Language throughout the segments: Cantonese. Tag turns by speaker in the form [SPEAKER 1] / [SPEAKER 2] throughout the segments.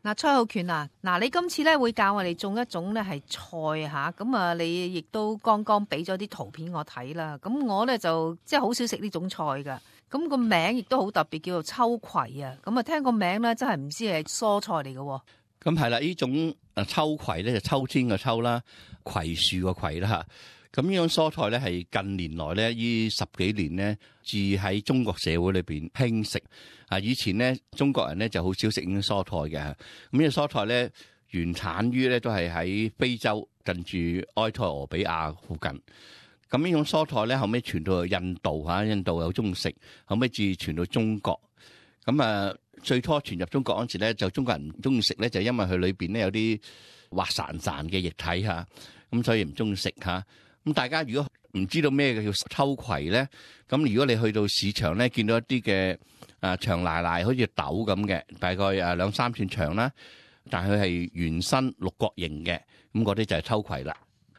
[SPEAKER 1] 嗱，蔡浩權啊，你今次咧會教我哋種一種咧係菜吓，咁啊你亦都剛剛俾咗啲圖片我睇啦，咁我咧就即係好少食呢種菜噶，咁個名亦都好特別，叫做秋葵啊，咁啊聽個名咧真係唔知係蔬菜嚟嘅。
[SPEAKER 2] 咁係啦，呢種秋葵咧就秋天嘅秋啦，葵樹嘅葵啦吓。咁呢種蔬菜咧係近年來咧呢10幾年咧至喺中國社會裏邊興食。以前咧中國人咧就好少食呢種蔬菜嘅。咁呢個蔬菜咧原產於咧都係喺非洲近住埃塞俄比亞附近。咁呢種蔬菜咧後尾傳到去印度吓，印度又中意食，後尾至傳到中國。咁最初傳入中國嗰陣時咧，就中國人唔中意食咧，就因為佢裏邊咧有啲滑潺潺嘅液體吓，咁所以唔中意食吓。咁大家如果唔知道咩叫秋葵咧，咁如果你去到市場咧，見到一啲嘅長賴賴好似豆咁嘅，大概2-3寸長啦，但係佢係圓身六角形嘅，咁嗰啲就係秋葵啦。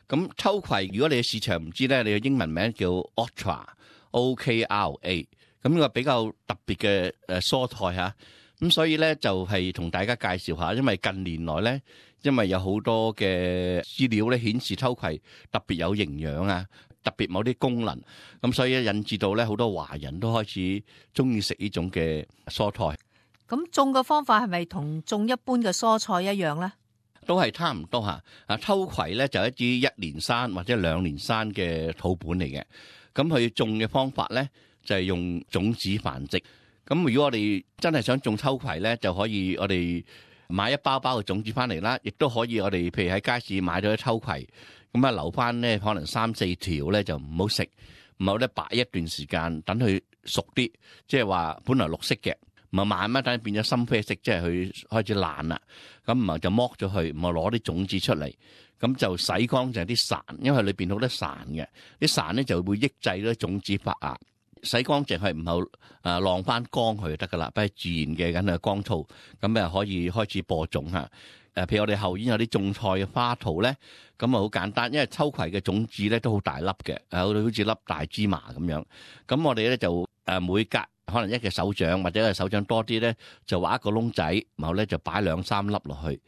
[SPEAKER 2] 咁秋葵如果你喺市場唔知咧，你嘅英文名叫 Okra，O-K-R-A， 咁呢個比較特別嘅蔬菜嚇。咁所以咧就係同大家介紹下，因為近年來咧，因為有好多嘅資料咧顯示秋葵特別有營養啊，特別某啲功能，咁所以引致到咧好多華人都開始中意食呢種嘅蔬菜。
[SPEAKER 1] 咁種嘅方法係咪同種一般嘅蔬菜一樣咧？
[SPEAKER 2] 都係差唔多嚇。秋葵咧就係一支1年生或者2年生嘅土本嚟嘅，咁佢種嘅方法咧就係用種子繁殖。咁如果我哋真係想種秋葵咧，就可以我哋買一包包嘅種子翻嚟啦，亦都可以我哋譬如喺街市買咗啲秋葵，咁留翻咧可能3-4條咧就唔好食，唔好咧擺一段時間等佢熟啲，即係話本來綠色嘅，唔係慢慢等變咗深啡色，即係佢開始爛啦，咁唔係就剝咗佢，唔係攞啲種子出嚟，咁就洗乾淨啲潺，因為裏邊好多潺嘅，啲潺咧就會抑制咗種子發芽。洗乾淨係唔好晾翻乾佢就得噶啦，不係自然嘅緊係乾燥，咁可以開始播種嚇。譬如我哋後院有啲種菜嘅花圖咧，咁好簡單，因為秋葵嘅種子咧都好大粒嘅，好似粒大芝麻咁樣。咁我哋咧就每隔可能一個手掌或者係手掌多啲咧，就挖一個窿仔，然後咧就擺2-3粒落去，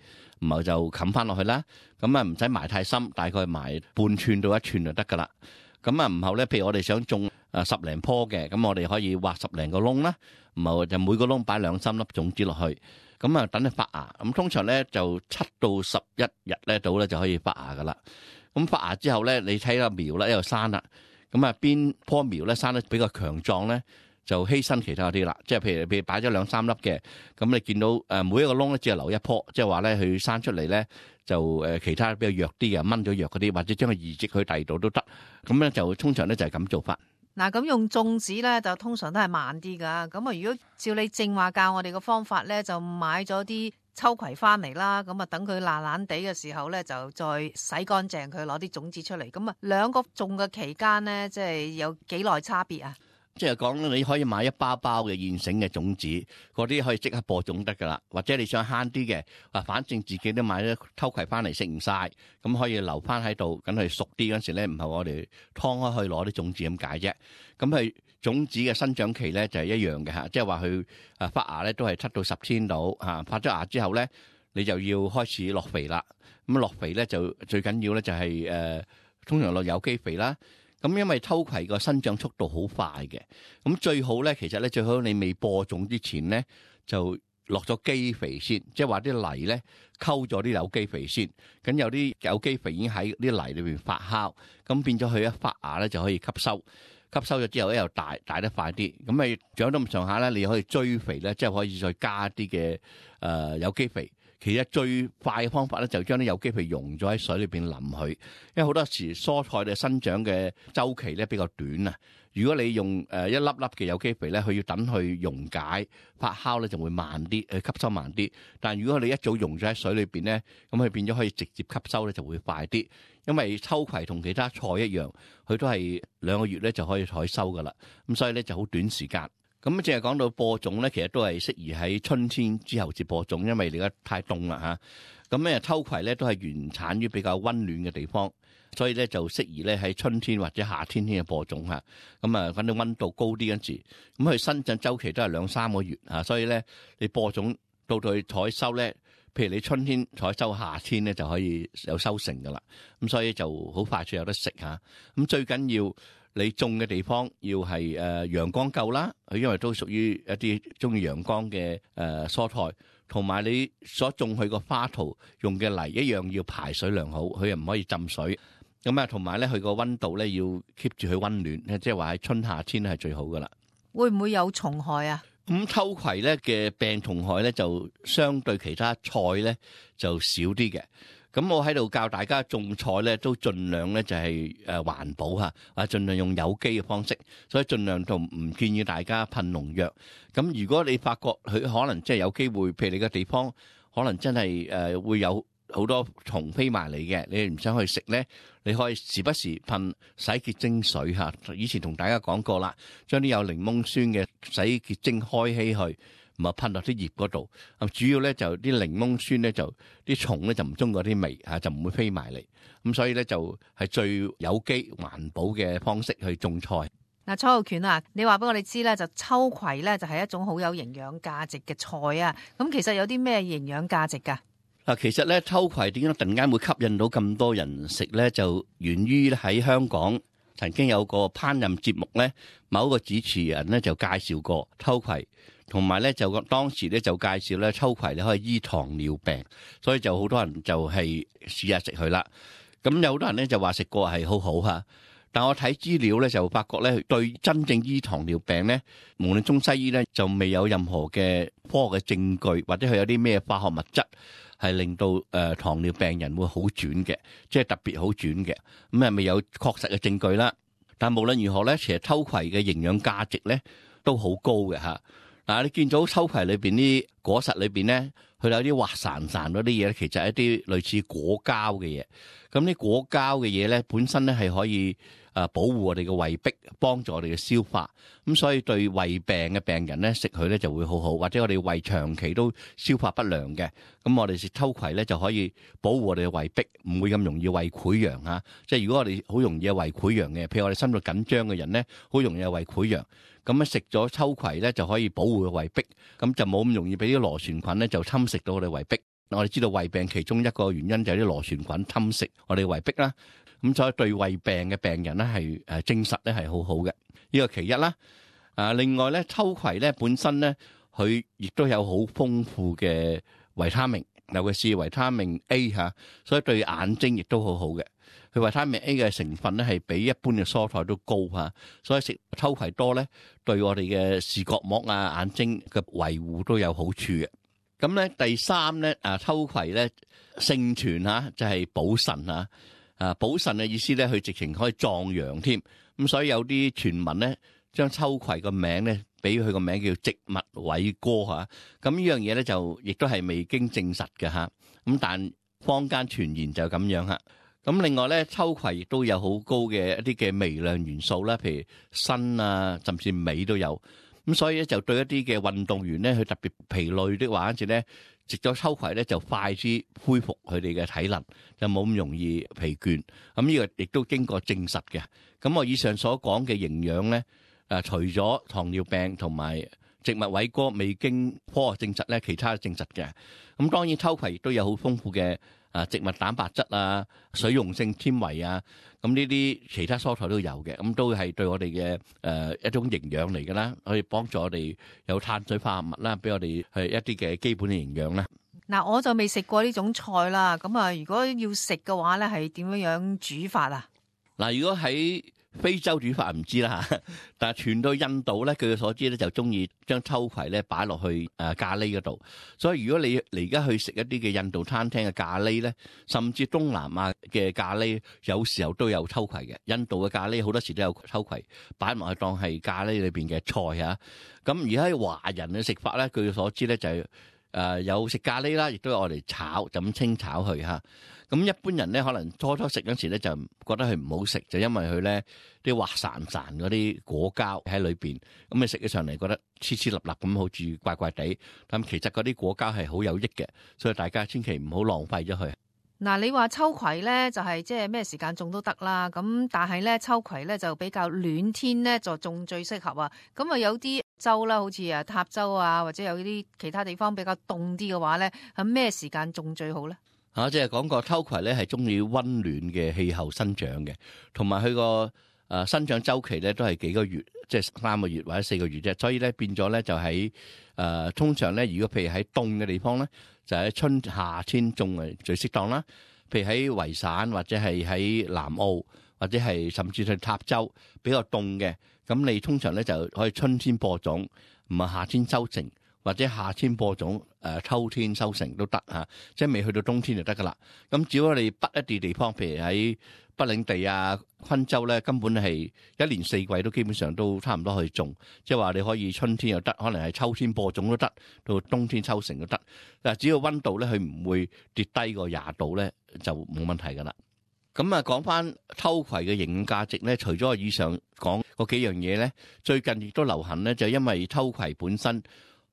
[SPEAKER 2] 然後就冚翻落去啦。咁唔使埋太深，大概埋半寸到1寸就得噶啦。咁然後咧，譬如我哋想種10零棵嘅，咁我哋可以挖10零個窿啦，然後就每個窿擺2-3粒種子落去，咁等佢發芽。咁通常咧就7到11日咧到咧就可以發芽噶啦。咁發芽之後咧，你睇個苗咧又生啦，咁邊棵苗咧生得比較強壯咧，就犧牲其他嗰啲啦。即係譬如擺咗2-3粒嘅，咁你見到每一個窿咧只係留一棵，即係話咧佢生出嚟咧。就其他比較弱啲嘅掹咗弱嗰啲，或者將佢移植去第二度都得。咁咧就通常咧就係咁做法。
[SPEAKER 1] 嗱，咁用種子咧就通常都係慢啲噶。咁如果照你正話教我哋嘅方法咧，就買咗啲秋葵翻嚟啦。咁等佢爛爛地嘅時候咧，就再洗乾淨佢，攞啲種子出嚟。咁兩個種嘅期間咧，即係有幾耐差別啊？
[SPEAKER 2] 即係講你可以買一包包嘅現成嘅種子，嗰啲可以即刻播種得噶啦。或者你想慳啲嘅，反正自己都買咗秋葵翻嚟食唔晒，咁可以留翻喺度，等佢熟啲嗰時咧，唔係我哋劏開去攞啲種子咁解啫。咁佢種子嘅生長期咧就係一樣嘅嚇，即係話佢發芽咧都係7到10天到嚇。發咗芽之後咧，你就要開始落肥啦。咁落肥咧就最緊要咧就係通常落有機肥啦。咁因為秋葵個生長速度好快嘅，咁最好咧，其實咧最好你未播種之前咧，就落咗基肥先，即係話啲泥咧溝咗啲有機肥先，咁有啲有機肥已經喺啲泥裏邊發酵，咁變咗佢一發芽咧就可以吸收咗之後咧又大得快啲，咁咪長到咁上下咧，你可以追肥咧，即係可以再加啲嘅有機肥。其實最快嘅方法咧，就將啲有機肥溶咗喺水裏邊淋佢，因為好多時蔬菜嘅生長嘅周期咧比較短啊。如果你用一粒粒嘅有機肥咧，佢要等佢溶解發酵咧就會慢啲，吸收慢啲。但係如果你一早溶咗喺水裏邊咧，咁佢變咗可以直接吸收咧就會快啲。因為秋葵同其他菜一樣，佢都係2個月咧就可以採收噶啦，咁所以咧就好短時間。咁淨係講到播種咧，其實都係適宜喺春天之後至播種，因為而家太凍啦嚇。咁咧秋葵咧都係原產於比較溫暖嘅地方，所以咧就適宜咧喺春天或者夏天嘅播種嚇。咁反正溫度高啲嗰陣時，咁佢生長週期都係2-3個月嚇，所以咧你播種到佢採收咧，譬如你春天採收，夏天咧就可以有收成噶啦。咁所以就好快脆有得食嚇。咁最緊要你種嘅地方要係陽光夠啦，佢因為都屬於一啲中意陽光嘅蔬菜，同埋你所種佢個花槽用嘅泥一樣要排水良好，佢又唔可以浸水。咁啊，同埋咧佢個溫度咧要 keep 住佢溫暖，即係話喺春夏天係最好噶啦。
[SPEAKER 1] 會唔會有蟲害啊？
[SPEAKER 2] 咁秋葵咧嘅病蟲害咧就相對其他菜咧就少啲嘅。咁我喺度教大家種菜咧，都盡量咧就係環保嚇，盡量用有機嘅方式，所以盡量就唔建議大家噴農藥。咁如果你發覺佢可能即係有機會，譬如你個地方可能真係會有好多蟲飛埋嚟嘅，你唔想去食咧，你可以時不時噴洗潔精水嚇。以前同大家講過啦，將啲有檸檬酸嘅洗潔精開稀去。唔係噴落啲葉嗰度，主要咧就啲檸檬酸咧就啲蟲咧就唔中意嗰啲味嚇，就唔會飛埋嚟。咁所以咧就係最有機環保嘅方式去種菜。
[SPEAKER 1] 嗱，蔡浩權啊，你話俾我哋知咧，就秋葵咧就係一種好有營養價值嘅菜啊。咁其實有啲咩營養價值㗎？
[SPEAKER 2] 嗱，其實咧秋葵點解突然間會吸引到咁多人食咧？就源於喺香港曾經有個烹飪節目咧，某一個主持人咧就介紹過秋葵。同埋咧就當時咧就介紹咧秋葵你可以醫糖尿病，所以就好多人就係試下食佢啦。咁有好多人咧就話食過係好好嚇，但我睇資料咧就發覺咧對真正醫糖尿病咧，無論中西醫咧就未有任何嘅科學嘅證據，或者佢有啲咩化學物質係令到糖尿病人會好轉嘅，即係特別好轉嘅。咁係未有確實嘅證據啦。但無論如何咧，其實秋葵嘅營養價值咧都好高嘅嚇。嗱，你見到秋葵裏邊啲果實裏邊咧，佢有啲滑潺潺嗰啲嘢咧，其實係一啲類似果膠嘅嘢。咁啲果膠嘅嘢咧，本身咧係可以保護我哋嘅胃壁，幫助我哋嘅消化。咁所以對胃病嘅病人咧食佢咧就會好好，或者我哋胃長期都消化不良嘅，咁我哋食秋葵咧就可以保護我哋嘅胃壁，唔會咁容易胃潰瘍嚇。即係如果我哋好容易有胃潰瘍嘅，譬如我哋心率緊張嘅人咧，好容易有胃潰瘍。咁食咗秋葵咧就可以保護個胃壁，咁就冇咁容易俾啲螺旋菌咧就侵蝕到我哋胃壁。我哋知道胃病其中一個原因就係啲螺旋菌侵蝕我哋胃壁啦。咁所以對胃病嘅病人咧係證實咧係好好嘅，呢個其一啦。另外咧秋葵咧本身咧佢亦都有好豐富嘅維他命，尤其是維他命 A 嚇，所以對眼睛亦都好好嘅。佢維他命 A 嘅成分咧係比一般嘅蔬菜都高嚇，所以食秋葵多咧對我哋嘅視覺膜啊、眼睛嘅維護都有好處嘅。咁咧第三咧秋葵咧盛傳嚇就係補腎嚇。補腎嘅意思咧，佢直情可以壯陽添。咁所以有啲傳聞咧，將秋葵個名咧，俾佢個名叫植物偉哥嚇。咁呢樣嘢咧就亦都係未經證實嘅嚇。咁但坊間傳言就咁樣嚇。咁另外咧，秋葵亦都有好高嘅一啲嘅微量元素啦，譬如鋅啊，甚至鎂都有。咁所以咧就對一啲嘅運動員咧，佢特別疲累的話，跟住咧食咗秋葵咧就快啲恢復佢哋嘅體能，就冇咁容易疲倦。咁呢個亦都經過證實嘅。咁我以上所講嘅營養咧，除咗糖尿病同埋植物偉哥未經科學證實咧，其他證實嘅。咁當然秋葵亦都有好豐富嘅植物蛋白質啊、水溶性纖維啊，咁呢啲其他蔬菜都有嘅，咁都係對我哋嘅一種營養嚟㗎啦，可以幫助我哋有碳水化合物啦，俾我哋係一啲嘅基本嘅營養啦。
[SPEAKER 1] 嗱，我就未食過呢種菜啦，咁啊，如果要食嘅話咧，係點樣煮法啊？
[SPEAKER 2] 嗱，如果喺非洲煮法唔知啦，但係傳到印度咧，據我所知咧就中意將秋葵咧擺落去咖喱嗰度。所以如果你而家去食一啲嘅印度餐廳嘅咖喱咧，甚至東南亞嘅咖喱，有時候都有秋葵嘅。印度嘅咖喱好多時都有秋葵擺埋去當係咖喱裏邊嘅菜嚇。咁而家喺華人嘅食法咧，據我所知咧就係有食咖喱啦，亦都有我哋炒，就咁清炒佢嚇。咁一般人咧，可能初時嗰時咧就覺得佢唔好食，就因為佢咧啲滑潺潺嗰啲果膠喺裏邊，咁你食起上嚟覺得黐黐立立咁，好似怪怪地。但其實嗰啲果膠係好有益嘅，所以大家千祈唔好浪費咗佢。
[SPEAKER 1] 嗱，你話秋葵咧就係即係咩時間種都得啦，咁但係咧秋葵咧就比較暖天咧就種最適合啊。咁啊有啲州啦，好似啊塔州啊，或者有啲其他地方比較凍啲嘅話咧，喺咩時間種最好咧？
[SPEAKER 2] 即係講過秋葵咧係中意溫暖嘅氣候生長嘅，同埋佢個生長週期咧都係幾個月，即係3個月或者4個月啫。所以咧變咗咧就喺通常咧，如果譬如喺凍嘅地方咧，就喺春夏天種係最適當啦。譬如喺維省或者係喺南澳或者係甚至係塔州比較凍嘅，咁你通常咧就可以春天播種，唔係夏天收成，或者夏天播種秋天收成都得嚇，即係未去到冬天就得噶啦。咁只要我哋北一啲地方，譬如喺北領地啊、昆州咧，根本係一年4季都基本上都差唔多去種，即係話你可以春天又得，可能係秋天播種都得，到冬天收成都得。嗱，只要溫度咧佢唔會跌低過20度咧，就冇問題噶啦。咁啊，講翻秋葵嘅營養價值咧，除咗我以上講嗰幾樣嘢咧，最近亦都流行咧，就因為秋葵本身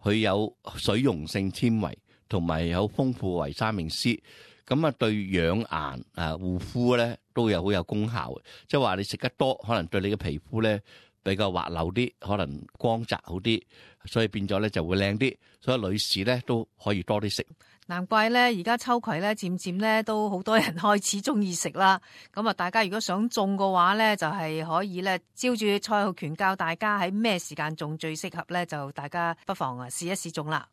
[SPEAKER 2] 佢有水溶性纖維，同埋有豐富維他命 C。咁啊，對養顏護膚咧都有好有功效，即係話你食得多，可能對你嘅皮膚咧比較滑溜啲，可能光澤好啲，所以變咗咧就會靚啲。所以女士咧都可以多啲食。
[SPEAKER 1] 難怪咧，而家秋葵咧漸漸咧都好多人開始中意食啦。咁啊，大家如果想種嘅話咧，就係可以咧照住蔡浩權教大家喺咩時間種最適合咧，就大家不妨試一試種啦。